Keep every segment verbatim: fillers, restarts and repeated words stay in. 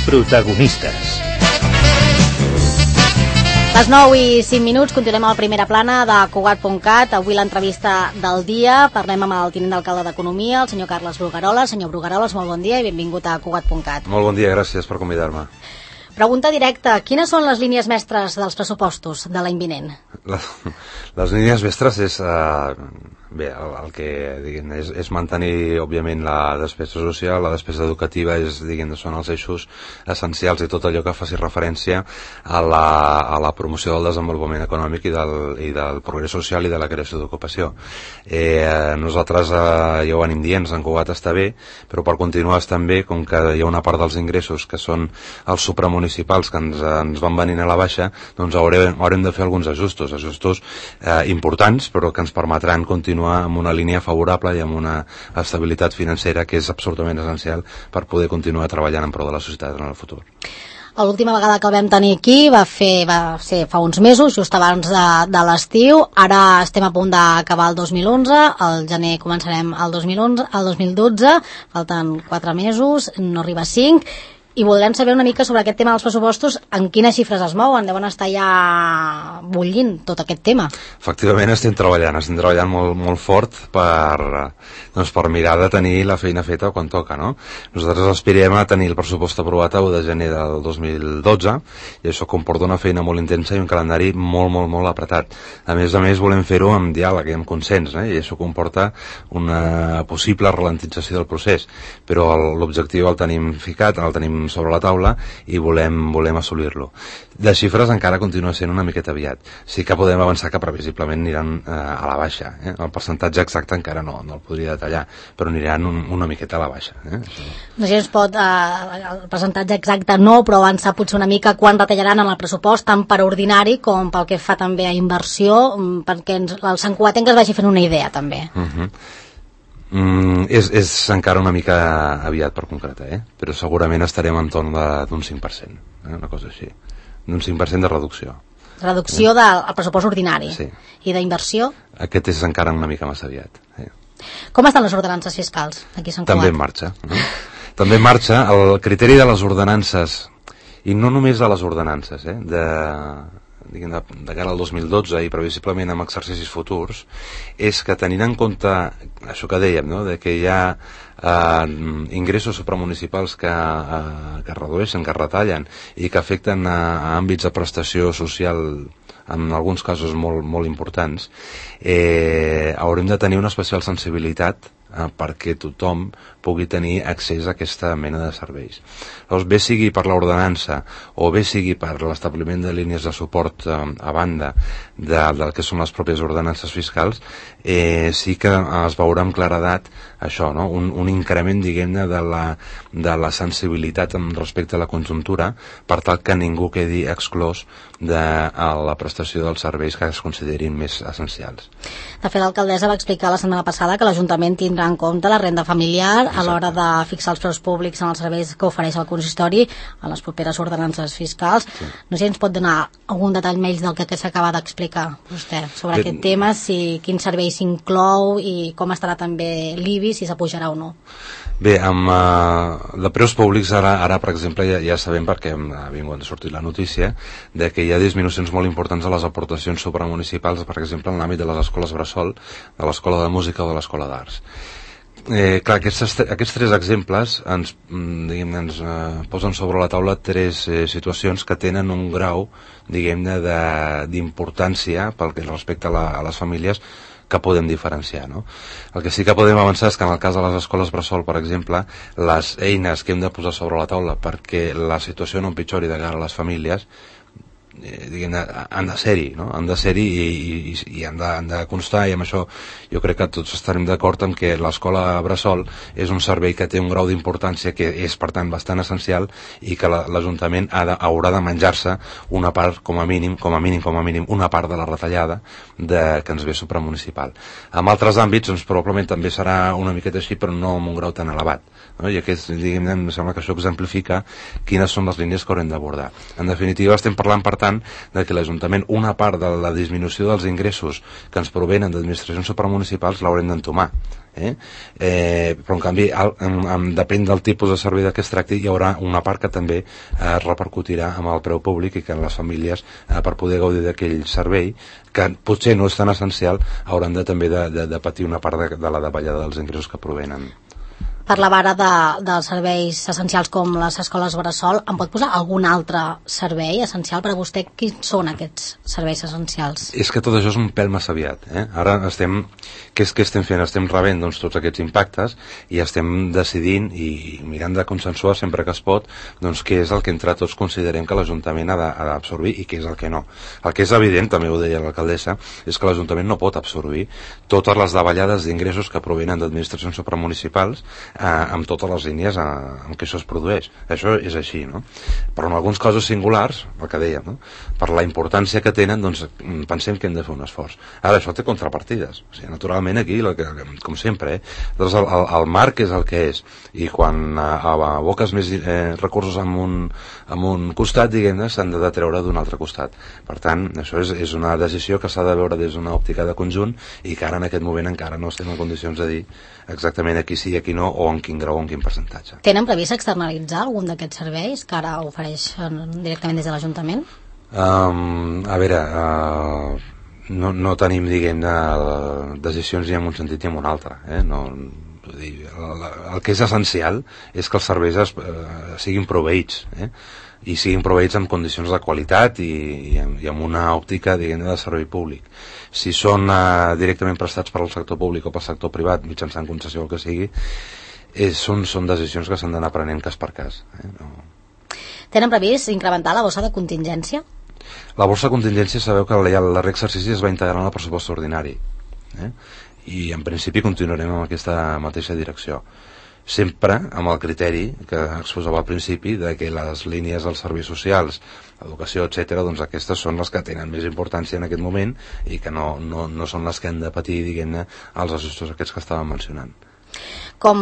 Protagonistes. Les nou i cinc minuts, continuem a la primera plana de Cugat punt cat. Avui l'entrevista del dia. Parlem amb el tinent d'alcalde d'Economia, el senyor Carles Brugaroles. Senyor Brugaroles, molt bon dia i benvingut a Cugat punt cat. Molt bon dia, gràcies per convidar-me. Pregunta directa, quines són les línies mestres dels pressupostos de l'any vinent? Les, les línies mestres és... Uh, bé, el, el que diguem, és, és mantenir, òbviament, la despesa social, la despesa educativa, és, diguem, són els eixos essencials i tot allò que faci referència a la, a la promoció del desenvolupament econòmic i del, i del progrés social i de la creació d'ocupació. Eh, nosaltres eh, ja ho anem dient, en Cugat està bé, però per continuar estan bé, com que hi ha una part dels ingressos que són els supramunicipals que ens, ens van venint a la baixa, doncs haurem, haurem de fer alguns ajustos, ajustos eh, importants, però que ens permetran continuar amb una línia favorable i amb una estabilitat financera que és absolutament essencial per poder continuar treballant en pro de la societat en el futur. L'última vegada que el vam tenir aquí va, fer, va ser fa uns mesos, just abans de, de l'estiu. Ara estem a punt d'acabar el dos mil onze, al gener començarem el dos mil onze, el dos mil dotze, falten quatre mesos, no arriba a cinc, i voldrem saber una mica sobre aquest tema dels pressupostos, en quines xifres es mouen, deuen estar ja bullint tot aquest tema. Efectivament estem treballant, estem treballant molt, molt fort per, doncs, per mirar de tenir la feina feta quan toca, no? Nosaltres aspirem a tenir el pressupost aprovat a u de gener del dos mil dotze i això comporta una feina molt intensa i un calendari molt, molt, molt apretat. A més a més volem fer-ho amb diàleg i amb consens, eh? I això comporta una possible ralentització del procés, però l'objectiu el tenim ficat, el tenim sobre la taula i volem, volem assolir-lo. De xifres encara continua sent una miqueta aviat. Sí que podem avançar que previsiblement aniran eh, a la baixa. Eh? El percentatge exacte encara no, no el podria detallar, però aniran un, una miqueta a la baixa. Eh? No sé si es pot, eh, el percentatge exacte no, però avançar potser una mica quan retallaran en el pressupost, tant per ordinari com pel que fa també a inversió, perquè ens, el Sant Cugatenc es vagi fent una idea també. Uh-huh. Mm, és, és encara una mica aviat per concretar, eh? Però segurament estarem en torn d'un cinc per cent, eh? Una cosa així, d'un cinc per cent de reducció. Reducció eh? del pressupost ordinari. Sí. I d'inversió? Aquest és encara una mica massa aviat. Eh? Com estan les ordenances fiscals aquí a Sant Cugat? També en marxa. Eh? També en marxa el criteri de les ordenances, i no només de les ordenances, eh? de... diguem, de, de cara al dos mil dotze i previsiblement amb exercicis futurs, és que tenint en compte això que dèiem, no? De que hi ha eh, ingressos supramunicipals que, eh, que redueixen, que retallen i que afecten a, a àmbits de prestació social en alguns casos molt, molt importants, eh, haurem de tenir una especial sensibilitat eh, perquè tothom pugui tenir accés a aquesta mena de serveis. Llavors, bé sigui per l'ordenança o bé sigui per l'establiment de línies de suport eh, a banda de, del que són les pròpies ordenances fiscals, eh, sí que es veurà amb claredat això, no? un, un increment, diguem-ne, de la, de la sensibilitat respecte a la conjuntura per tal que ningú quedi exclòs de la prestació dels serveis que es considerin més essencials. De fet, l'alcaldessa va explicar la setmana passada que l'Ajuntament tindrà en compte la renda familiar a l'hora de fixar els preus públics en els serveis que ofereix el consistori en les properes ordenances fiscals. Sí. No sé si ens pot donar algun detall més del que, que s'acaba d'explicar vostè sobre Bé, aquest tema, si quin servei s'inclou i com estarà també l'I B I, si s'apujarà o no. Bé, amb uh, de preus públics ara, ara per exemple, ja, ja sabem perquè ha vingut a sortir la notícia de que hi ha disminucions molt importants a les aportacions supramunicipals, per exemple, en l'àmbit de les escoles bressol, de l'escola de música o de l'escola d'arts. Eh, clar, aquests, aquests tres exemples ens, diguem, ens eh, posen sobre la taula tres eh, situacions que tenen un grau, diguem-ne, d'importància pel que respecta a, la, a les famílies que podem diferenciar, no? El que sí que podem avançar és que en el cas de les escoles bressol, per exemple, les eines que hem de posar sobre la taula perquè la situació no empitjori de cara a les famílies eh, diguem, han de ser-hi, no? Han de ser-hi i, i, i han, de, han de constar, i amb això jo crec que tots estarem d'acord en que l'escola bressol és un servei que té un grau d'importància que és, per tant, bastant essencial i que l'Ajuntament ha de, haurà de menjar-se una part, com a mínim, com a mínim, com a mínim, una part de la retallada de, que ens ve supramunicipal. En altres àmbits, doncs, probablement també serà una miqueta així, però no amb un grau tan elevat, no? I aquest, diguem, em sembla que això exemplifica quines són les línies que haurem d'abordar. En definitiva, estem parlant, per tant, tant, de que l'Ajuntament, una part de la disminució dels ingressos que ens provenen d'administracions supramunicipals l'haurem d'entomar. Eh? Eh, però en canvi el, en, en, depèn del tipus de servei de què es tracti, hi haurà una part que també eh, repercutirà amb el preu públic i que les famílies eh, per poder gaudir d'aquell servei que potser no és tan essencial hauran de, també de, de, de patir una part de, de la davallada dels ingressos que provenen. Parlava ara de, dels serveis essencials com les escoles bressol. Em pot posar algun altre servei essencial per a vostè? Quins són aquests serveis essencials? És que tot això és un pèl massa aviat. Eh? Ara estem... Què, és, què estem fent? Estem rebent doncs, tots aquests impactes i estem decidint i mirant de consensuar sempre que es pot doncs, què és el que entre tots considerem que l'Ajuntament ha d'absorbir i què és el que no. El que és evident, també ho deia l'alcaldessa, és que l'Ajuntament no pot absorbir totes les davallades d'ingressos que provenen d'administracions supramunicipals Eh, amb totes les línies eh, en què això es produeix. Això és així, no? Però en alguns casos singulars, el que dèiem, no? Per la importància que tenen, doncs pensem que hem de fer un esforç. Ara, això té contrapartides. O sigui, naturalment aquí, la que, com sempre, eh? doncs el, el, el marc és el que és. I quan eh, aboques més eh, recursos en un, en un costat, diguem-ne, s'han de treure d'un altre costat. Per tant, això és, és una decisió que s'ha de veure des d'una òptica de conjunt i que ara en aquest moment encara no estem en condicions de dir exactament aquí sí i aquí no, o en quin grau o en quin percentatge. Tenen previst externalitzar algun d'aquests serveis que ara ofereixen directament des de l'Ajuntament? Um, a veure, uh, no, no tenim, diguem-ne, decisions ni en un sentit ni en un altre. Eh? No, vull dir, el, el que és essencial és que els serveis es, uh, siguin proveïts, eh? i siguin proveïts en condicions de qualitat i, i, amb, i amb una òptica, diguem-ne, de servei públic. Si són uh, directament prestats per al sector públic o pel sector privat, mitjançant concessió o el que sigui, és, són, són decisions que s'han d'anar prenent cas per cas. Eh? No. Tenen previst incrementar la bossa de contingència? La borsa de contingència, sabeu que el darrer exercici es va integrar en el pressupost ordinari. Eh? I en principi continuarem amb aquesta mateixa direcció. Sempre amb el criteri que exposava al principi de que les línies dels serveis socials, educació, etcètera, doncs aquestes són les que tenen més importància en aquest moment i que no, no, no són les que han de patir, diguem-ne, els ajustos aquests que estàvem mencionant. Com,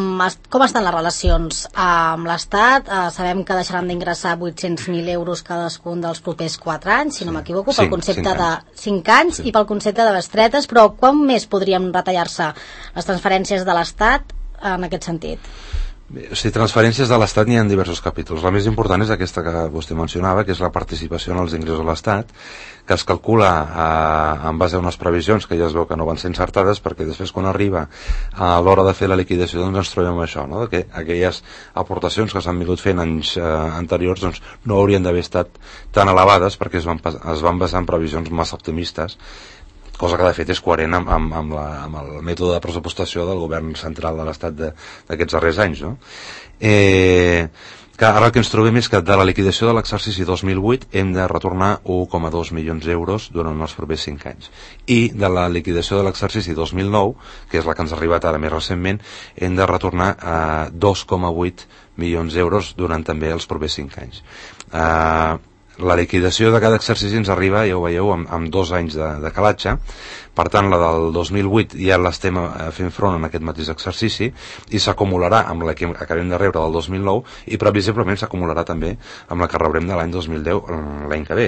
com estan les relacions amb l'Estat? Eh, sabem que deixaran d'ingressar vuit-cents mil euros cadascun dels propers quatre anys, si no m'equivoco, pel concepte de cinc anys i pel concepte de bestretes, però quan més podrien retallar-se les transferències de l'Estat en aquest sentit? Bé, o sigui, transferències de l'Estat n'hi ha diversos capítols. La més important és aquesta que vostè mencionava, que és la participació en els ingressos de l'Estat, que es calcula eh, en base a unes previsions que ja es veu que no van ser encertades, perquè després quan arriba a l'hora de fer la liquidació doncs ens trobem això, no? Que aquelles aportacions que s'han vingut fent anys eh, anteriors doncs no haurien d'haver estat tan elevades perquè es van, es van basar en previsions massa optimistes, cosa que de fet és coherent amb, amb, amb, la, amb el mètode de pressupostació del govern central de l'Estat d'aquests darrers anys, no? Eh, que ara el que ens trobem és que de la liquidació de l'exercici dos mil vuit hem de retornar un coma dos milions d'euros durant els propers cinc anys, i de la liquidació de l'exercici dos mil nou, que és la que ens ha arribat ara més recentment, hem de retornar eh, dos coma vuit milions d'euros durant també els propers cinc anys. Eh, La liquidació de cada exercici ens arriba, ja ho veieu, amb, amb dos anys de, de calatge. Per tant, la del dos mil vuit ja l'estem fent front en aquest mateix exercici i s'acumularà amb la que acabem de rebre del dos mil nou i previsiblement s'acumularà també amb la que rebrem de l'any dos mil deu, l'any que ve.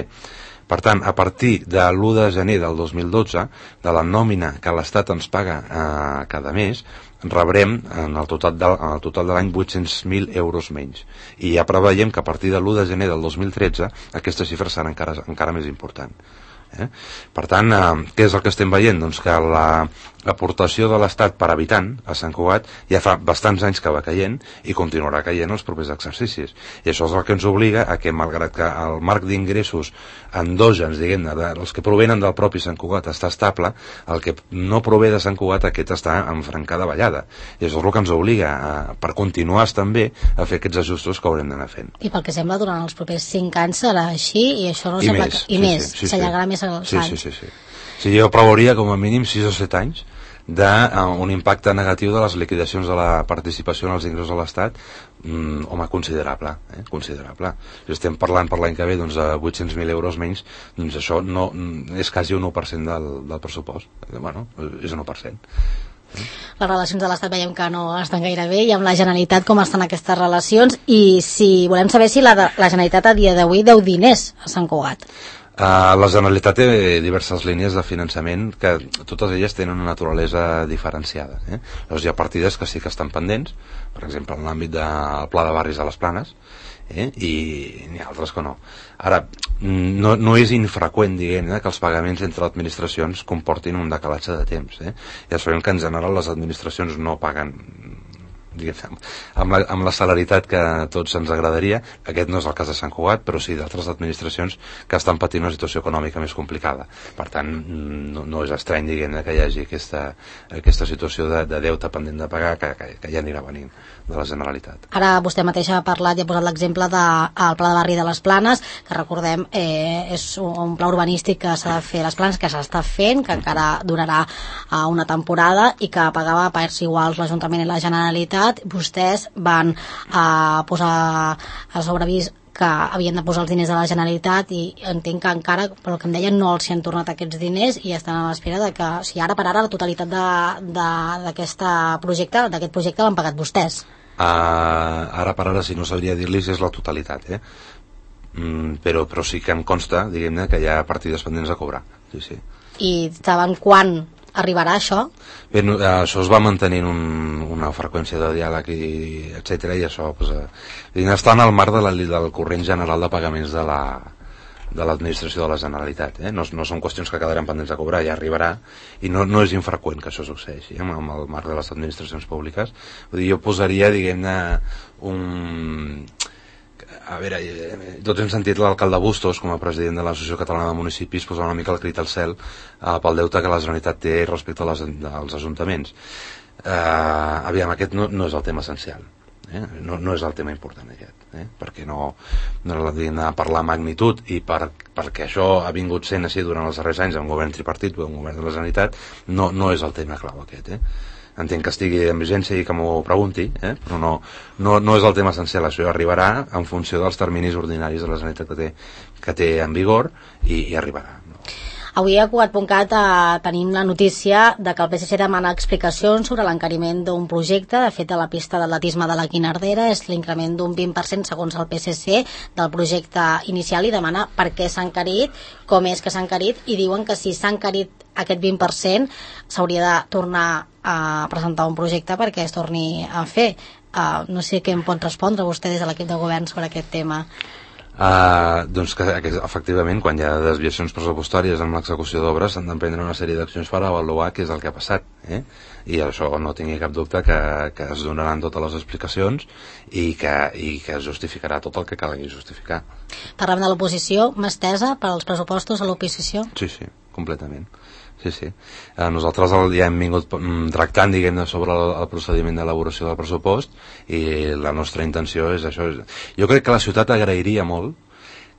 Per tant, a partir de l'u de gener del dos mil dotze, de la nòmina que l'Estat ens paga eh, cada mes, rebrem en el total de, en el total de l'any vuit-cents mil euros menys. I ja preveiem que a partir de l'u de gener del dos mil tretze aquesta xifra serà encara, encara més important. Eh? Per tant, eh, què és el que estem veient? Doncs que l'aportació de l'Estat per habitant a Sant Cugat ja fa bastants anys que va caient i continuarà caient els propers exercicis. I això és el que ens obliga a que, malgrat que el marc d'ingressos endògens, diguem-ne, els que provenen del propi Sant Cugat està estable, el que no prové de Sant Cugat aquest està en franca davallada. I això és el que ens obliga, a, per continuar també, a fer aquests ajustos que haurem d'anar fent. I pel que sembla, durant els propers cinc anys serà així i això no I sembla més, que... I sí, més, sí, sí, s'allargarà sí. més els sí, anys. sí, sí, sí. Sí, jo preveuria com a mínim sis o set anys d'un impacte negatiu de les liquidacions de la participació en els ingressos de l'Estat, mm, home, considerable, eh? considerable. Si estem parlant per l'any que ve doncs, de vuit-cents mil euros menys, doncs això no, és quasi un u per cent del, del pressupost. Bueno, és un u per cent. Les relacions de l'Estat veiem que no estan gaire bé, i amb la Generalitat com estan aquestes relacions, i si volem saber si la, la Generalitat a dia d'avui deu diners a Sant Cugat. Uh, la Generalitat té diverses línies de finançament que totes elles tenen una naturalesa diferenciada. Eh? Llavors hi ha partides que sí que estan pendents, per exemple en l'àmbit del Pla de Barris a les Planes, eh? i n'hi ha altres que no. Ara, no, no és infreqüent, diguem, eh, que els pagaments entre administracions comportin un decalatge de temps. Eh? Ja sabem que en general les administracions no paguen diguem, amb, la, amb la celeritat que a tots ens agradaria. Aquest no és el cas de Sant Cugat, però sí d'altres administracions que estan patint una situació econòmica més complicada. Per tant, no, no és estrany, diguem, que hi hagi aquesta, aquesta situació de, de deute pendent de pagar que, que, que ja anirà venint de la Generalitat. Ara vostè mateix ha parlat i ha posat l'exemple del Pla de Barri de les Planes, que recordem eh, és un pla urbanístic que s'ha de fer a les Planes, que s'està fent, que encara durarà eh, una temporada i que pagava a parts iguals l'Ajuntament i la Generalitat. Vostès van eh, posar a sobreavís que havien de posar els diners de la Generalitat i entenc que encara, pel que em deien, no els hi han tornat aquests diners i estan a l'espera de que, o sigui, ara per ara la totalitat d'aquest projecte d'aquest projecte l'han pagat vostès. Uh, ara per ara, si no sabria dir-li si és la totalitat, eh? Mm, però, però sí que em consta, diguem-ne, que hi ha partides pendents a cobrar. Sí, sí. I saben quan arribarà això? Bé, no, això es va mantenint un, una freqüència de diàleg i etcètera, i això pues, eh, està en el marc de la, del corrent general de pagaments de la de l'administració de la Generalitat, eh? no, no són qüestions que quedaran pendents a cobrar, ja arribarà, i no, no és infreqüent que això succeeixi eh? amb el marc de les administracions públiques. Vull dir, jo posaria, diguem-ne, un... A veure, tots hem sentit l'alcalde Bustos com a president de l'Associació Catalana de Municipis posar una mica el crit al cel eh, pel deute que la Generalitat té respecte als, als ajuntaments. Eh, aviam, aquest no, no és el tema essencial. Eh? No, no és el tema important aquest, eh? perquè no, no l'hem de parlar magnitud i per, perquè això ha vingut sent així durant els darrers anys amb un govern tripartit o un govern de la Generalitat, no, no és el tema clau aquest. Eh? Entenc que estigui en vigència i que m'ho pregunti, eh? però no, no, no és el tema essencial. Això arribarà en funció dels terminis ordinaris de la Generalitat que té, que té en vigor i, i arribarà. No? Avui a Cugat punt cat eh, tenim la notícia de que el P S C demana explicacions sobre l'encariment d'un projecte. De fet, a la pista d'atletisme de la Guinardera és l'increment d'un vint per cent segons el P S C del projecte inicial i demana per què s'ha encarit, com és que s'ha encarit, i diuen que si s'ha encarit aquest vint per cent s'hauria de tornar a presentar un projecte perquè es torni a fer. Uh, no sé què em pot respondre vostè des de l'equip de govern sobre aquest tema. Uh, doncs que, que efectivament quan hi ha desviacions pressupostàries en l'execució d'obres s'han d'emprendre una sèrie d'accions per avaluar què és el que ha passat, eh? I això no tingui cap dubte que, que es donaran totes les explicacions i que, i que es justificarà tot el que calgui justificar. Parlem de l'oposició, mà estesa per als pressupostos a l'oposició? Sí, sí, completament. Sí, sí. Eh, nosaltres el, ja hem vingut tractant, diguem-ne, sobre el, el procediment d'elaboració del pressupost i la nostra intenció és això. Jo crec que la ciutat agrairia molt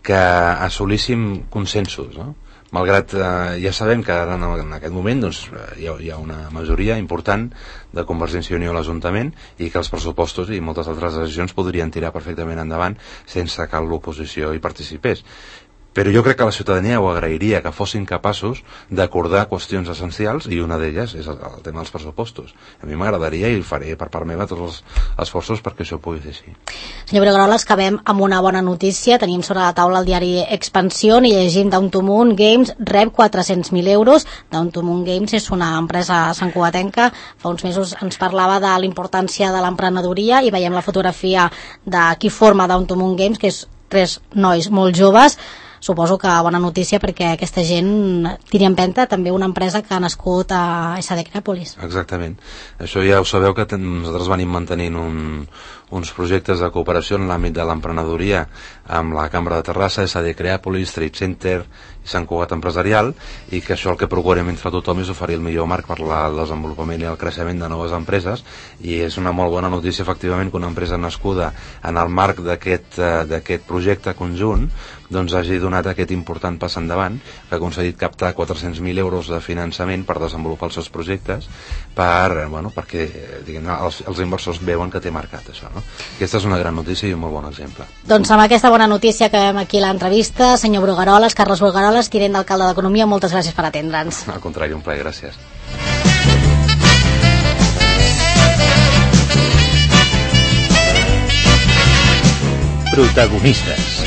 que assolíssim consensos, no? Malgrat eh, ja sabem que ara en, en aquest moment doncs, hi, ha, hi ha una majoria important de Convergència i Unió a l'Ajuntament i que els pressupostos i moltes altres decisions podrien tirar perfectament endavant sense que l'oposició hi participés. Però jo crec que la ciutadania ho agrairia que fossin capaços d'acordar qüestions essencials i una d'elles és el, el tema dels pressupostos. A mi m'agradaria i faré per part meva tots els esforços perquè això pugui ser així. Senyor Brugueroles, acabem amb una bona notícia. Tenim sobre la taula el diari Expansión i llegim Down to Moon Games rep quatre-cents mil euros. Down to Moon Games és una empresa santcugatenca. Fa uns mesos ens parlava de la importància de l'emprenedoria i veiem la fotografia de qui forma Down to Moon Games, que és tres nois molt joves. Suposo que bona notícia perquè aquesta gent tiri en empenta també una empresa que ha nascut a S D Crèpolis. Exactament. Això ja ho sabeu que ten, nosaltres venim mantenint un, uns projectes de cooperació en l'àmbit de l'emprenedoria amb la Cambra de Terrassa, S D Crèpolis, Trade Center i Sant Cugat Empresarial, i que això el que procurem entre tothom és oferir el millor marc per al desenvolupament i el creixement de noves empreses, i és una molt bona notícia efectivament que una empresa nascuda en el marc d'aquest d'aquest projecte conjunt doncs hagi donat aquest important pas endavant, que ha aconseguit captar quatre-cents mil euros de finançament per desenvolupar els seus projectes, per, bueno, perquè diguem, els, els inversors veuen que té marcat això, no? Aquesta és una gran notícia i un molt bon exemple. Doncs amb aquesta bona notícia acabem aquí l'entrevista. Senyor Brugueroles, Carles Brugueroles, tinent d'alcalde d'Economia, moltes gràcies per atendre'ns. Al contrari, un plaer, gràcies. Protagonistes.